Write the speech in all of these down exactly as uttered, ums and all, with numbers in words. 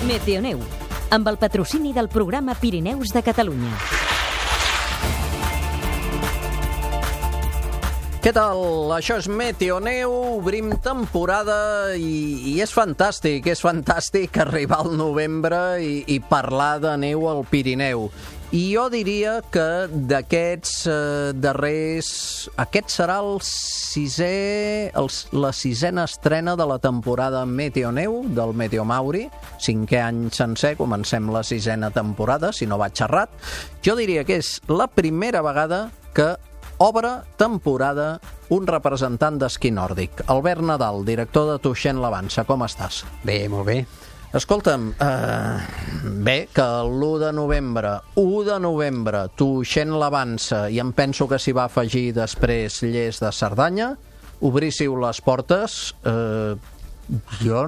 Meteoneu, amb el patrocini del programa Pirineus de Catalunya. Què tal? Això és Meteoneu, obrim temporada i, i és fantàstic, és fantàstic arribar al novembre i, i parlar de neu al Pirineu. I jo diria que d'aquests eh, darrers... Aquest serà el sisè, el, la sisena estrena de la temporada Meteoneu del Meteomauri. Cinquè any sencer, comencem la sisena temporada, si no vaig errat. Jo diria que és la primera vegada que obre temporada un representant d'esquí nòrdic. Albert Nadal, director de Tuixén l'Avança. Com estàs? Bé, molt bé. Escolta'm, eh, bé, que l'u de novembre, u de novembre, Tuixén l'Avança, i em penso que s'hi va afegir després Lles de Cerdanya, obríssiu les portes, eh, jo,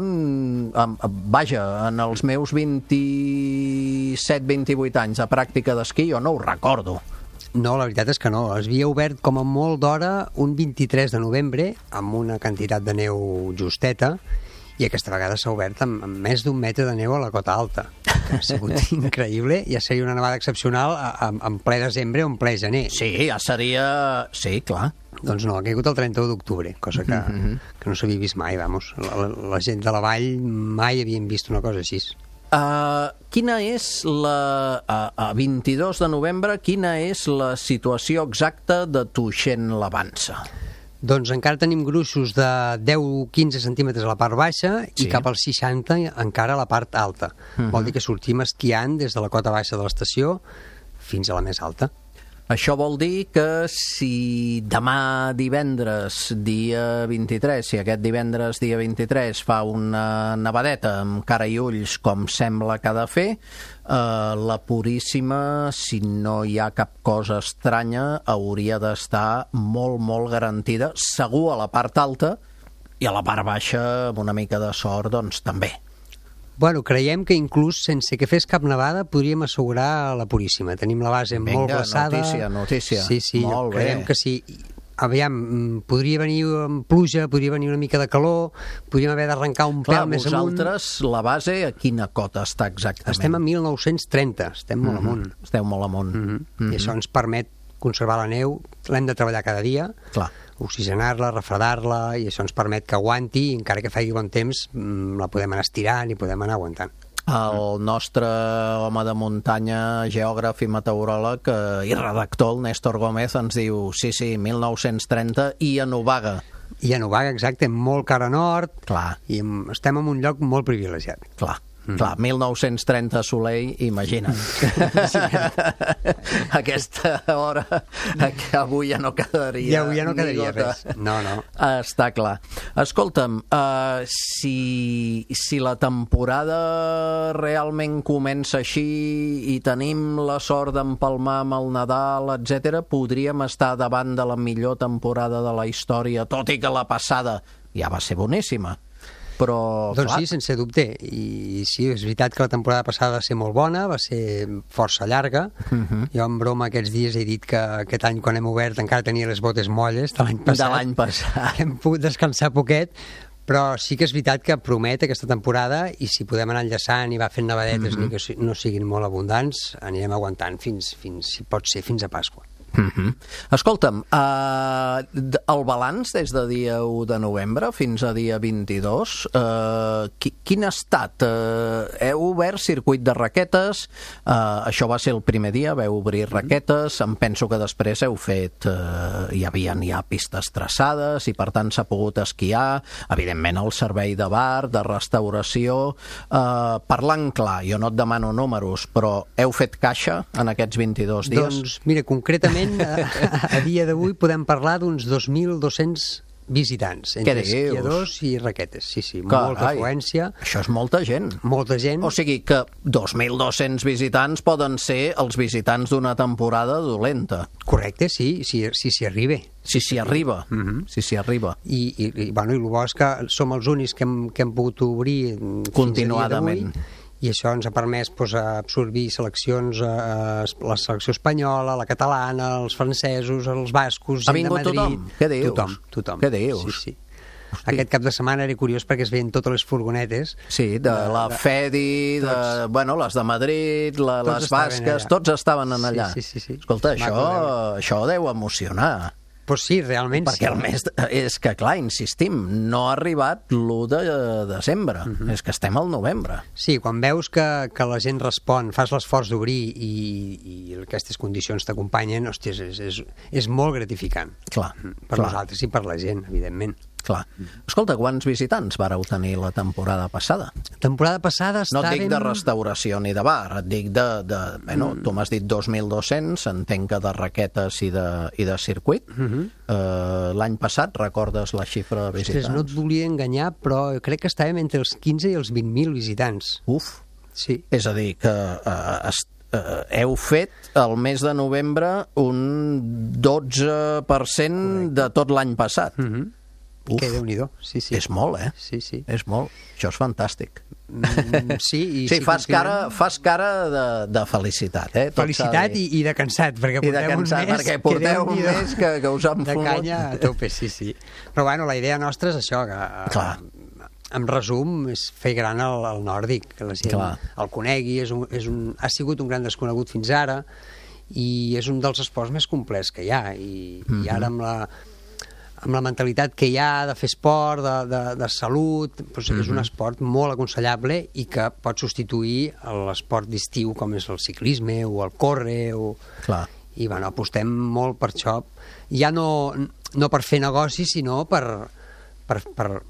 vaja, en els meus vint-i-set vint-i-vuit anys de pràctica d'esquí, jo no ho recordo. No, la veritat és que no. Es havia obert com a molt d'hora un vint-i-tres de novembre amb una quantitat de neu justeta, i aquesta vegada s'ha obert amb, amb més d'un metre de neu a la cota alta. Ha sigut increïble. Ja seria una nevada excepcional en ple desembre o en ple gener. Sí, ja seria... Sí, clar. Doncs no, ha caigut el trenta-u d'octubre, cosa que, mm-hmm. que no s'havia vist mai, vamos. La, la, la gent de la vall mai havien vist una cosa així. Uh, quina és la... A, a vint-i-dos de novembre, quina és la situació exacta de Tuixén l'Avança? Doncs encara tenim gruixos de deu a quinze centímetres a la part baixa i sí. cap als seixanta encara a la part alta. Uh-huh. Vol dir que sortim esquiant des de la cota baixa de l'estació fins a la més alta. Això vol dir que si demà divendres, dia vint-i-tres, si aquest divendres, dia vint-i-tres, fa una nevadeta amb cara i ulls, com sembla que ha de fer, eh, la Puríssima, si no hi ha cap cosa estranya, hauria d'estar molt, molt garantida, segur a la part alta, i a la part baixa, amb una mica de sort, doncs també. Bueno, creiem que inclús sense que fes cap nevada podríem assegurar la Puríssima. Tenim la base Vinga, molt glaçada. notícia, notícia. Sí, sí, molt creiem bé. que sí. Aviam, podria venir amb pluja, podria venir una mica de calor, podríem haver d'arrencar un Clar, pèl més amunt. vosaltres, la base, a quina cota està exactament? Estem a mil nou-cents trenta, estem molt mm-hmm. amunt. Esteu molt amunt. Mm-hmm. Mm-hmm. I això ens permet conservar la neu, l'hem de treballar cada dia. Clar. Oxigenar-la, refredar-la, i això ens permet que aguanti, i encara que faci bon temps, la podem anar estirant i podem anar aguantant. El nostre home de muntanya, geògraf i meteoròleg i redactor, el Néstor Gómez, ens diu sí, sí, mil nou-cents trenta i a Novaga. I a Novaga, exacte, molt cara nord. Clar. I estem en un lloc molt privilegiat. Clar. Mm. Clar, mil nou-cents trenta Soleil, imagina't. Aquesta hora que avui ja no quedaria. Ja, avui ja no quedaria res. No, no. Està clar. Escolta'm, uh, si, si la temporada realment comença així i tenim la sort d'empalmar amb el Nadal, etcètera, podríem estar davant de la millor temporada de la història, tot i que la passada ja va ser boníssima. Però, doncs clar. Sí, sense dubte. I sí, és veritat que la temporada passada va ser molt bona, va ser força llarga. Uh-huh. Jo en broma aquests dies he dit que aquest any quan hem obert encara tenia les botes molles de l'any passat. De l'any passat. Hem pogut descansar poquet, però sí que és veritat que promet aquesta temporada, i si podem anar enllaçant i va fent nevadetes, uh-huh. ni que no siguin molt abundants, anirem aguantant fins, fins si pot ser, fins a Pasqua. Mm-hmm. Escolta'm, uh, el balanç des de dia u de novembre fins a dia vint-i-dos, uh, qui, quin ha estat? Uh, heu obert circuit de raquetes, uh, això va ser el primer dia, veu obrir raquetes, em penso que després heu fet, uh, hi havia ja pistes traçades i per tant s'ha pogut esquiar, evidentment el servei de bar, de restauració, uh, parlant clar, jo no et demano números, però heu fet caixa en aquests vint-i-dos dies? Doncs mira, concretament A, a dia d'avui podem parlar d'uns dos mil dos-cents visitants, entre esquiadors i raquetes. Sí, sí, Carai, molta afluència. Això és molta gent. Molta gent. O sigui que dos mil dos-cents visitants poden ser els visitants d'una temporada dolenta. Correcte, sí, si s'hi si, si arriba. Si s'hi arriba, uh-huh. si s'hi arriba. I, i, i, bueno, i el bo és que som els únics que hem, que hem pogut obrir continuadament. I això ens ha permès pues, absorbir seleccions, eh, la selecció espanyola, la catalana, els francesos, els bascos, ha vingut de Madrid. Tothom? Què dius? Tothom, tothom. Què dius? Sí, sí. Aquest cap de setmana era curiós perquè es veien totes les furgonetes. Sí, de, de la Fedi, de, de, bueno, les de Madrid, la, les basques, tots estaven en allà. Sí, sí, sí. Escolta, això, això deu emocionar. Pues sí, realment perquè sí. el mes... És que, clar, insistim, no ha arribat l'u de desembre. Uh -huh. És que estem al novembre. Sí, quan veus que, que la gent respon, fas l'esforç d'obrir i, i aquestes condicions t'acompanyen, hòstia, és, és, és molt gratificant. Clar. Per clar. nosaltres i per la gent, evidentment. Clar. Escolta, quants visitants vareu tenir la temporada passada? Temporada passada estàvem... No et dic de restauració ni de bar, et dic de... de bueno, mm. tu m'has dit dos mil dos-cents, entenc que de raquetes i de, i de circuit. Mm -hmm. uh, L'any passat, recordes la xifra de visitants? Ostres, no et volia enganyar, però crec que estàvem entre els quinze i els vint mil visitants. Uf! Sí. És a dir, que uh, est Uh, heu fet el mes de novembre un dotze per cent de tot l'any passat. Mm-hmm. Uf, que Déu-n'hi-do, sí, sí. És molt, eh? Sí, sí. És molt. Això és fantàstic. Mm, sí, i sí, sí, fas cara, fas cara de, de felicitat, eh? Tot felicitat i, i de cansat, perquè porteu de cansat, un mes, perquè porteu un mes que, que us han de fumut. canya a tope, sí, sí. Però bueno, la idea nostra és això, que... Clar. En resum, és fer gran el, el nòrdic, que la gent Clar. el conegui, és un, és un, ha sigut un gran desconegut fins ara, i és un dels esports més complets que hi ha, i, mm -hmm. i ara amb la, amb la mentalitat que hi ha de fer esport, de, de, de salut, doncs mm -hmm. és un esport molt aconsellable i que pot substituir l'esport d'estiu, com és el ciclisme o el córrer, o... Clar. I bueno, apostem molt per això, ja no, no per fer negoci, sinó per... per, per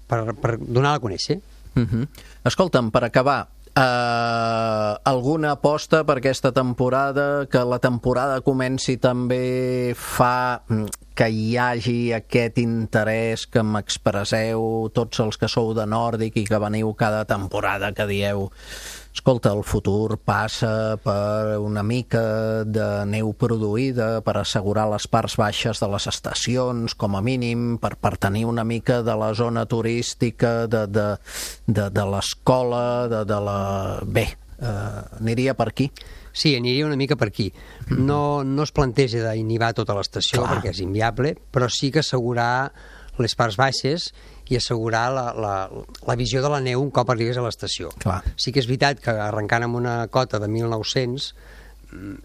Per, per donar a conèixer. Uh-huh. Escolta'm, per acabar, eh, alguna aposta per aquesta temporada, que la temporada comenci també fa que hi hagi aquest interès que m'expresseu tots els que sou de Nòrdic i que veniu cada temporada, que dieu escolta, el futur passa per una mica de neu produïda, per assegurar les parts baixes de les estacions, com a mínim, per, per tenir una mica de la zona turística, de, de, de, de l'escola, de, de la... Bé, eh, aniria per aquí. Sí, aniria una mica per aquí. No, no es planteja d'inhibar tota l'estació, Clar. perquè és inviable, però sí que assegurar les parts baixes i assegurar la, la, la visió de la neu un cop arribes a l'estació. Clar. Sí que és veritat que arrencant amb una cota de mil nou-cents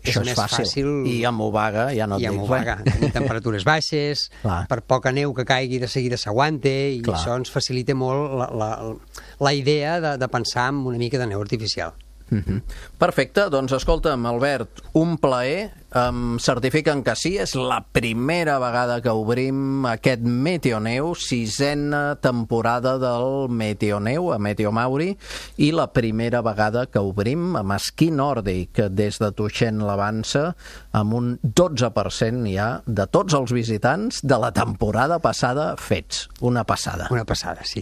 és Això és més fàcil. fàcil... I amb Obaga ja no et I amb dic Obaga, res. tenir temperatures baixes, Clar. per poca neu que caigui de seguida s'aguante, i Clar. això ens facilita molt la, la, la idea de, de pensar en una mica de neu artificial. Uh-huh. Perfecte, doncs escolta'm, Albert, un plaer, em certifiquen que sí, és la primera vegada que obrim aquest Meteoneu, sisena temporada del Meteoneu a Meteomauri, i la primera vegada que obrim amb esquí nòrdic des de Tuixén l'Avança, amb un dotze per cent ja de tots els visitants de la temporada passada fets. Una passada. Una passada, sí.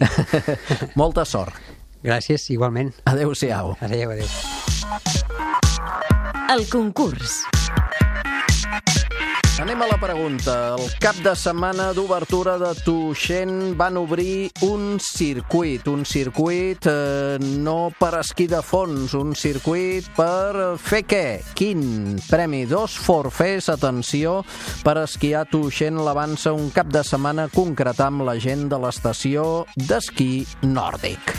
Molta sort. Gràcies, igualment. Adéu-siau. Adéu, adéu. El concurs. Anem a la pregunta. El cap de setmana d'obertura de Tuixén van obrir un circuit, un circuit eh, no per esquí de fons, un circuit per fer què? Quin? Premi dos forfers, atenció, per esquiar a Tuixén l'Avança un cap de setmana, concretar amb la gent de l'estació d'esquí nòrdic.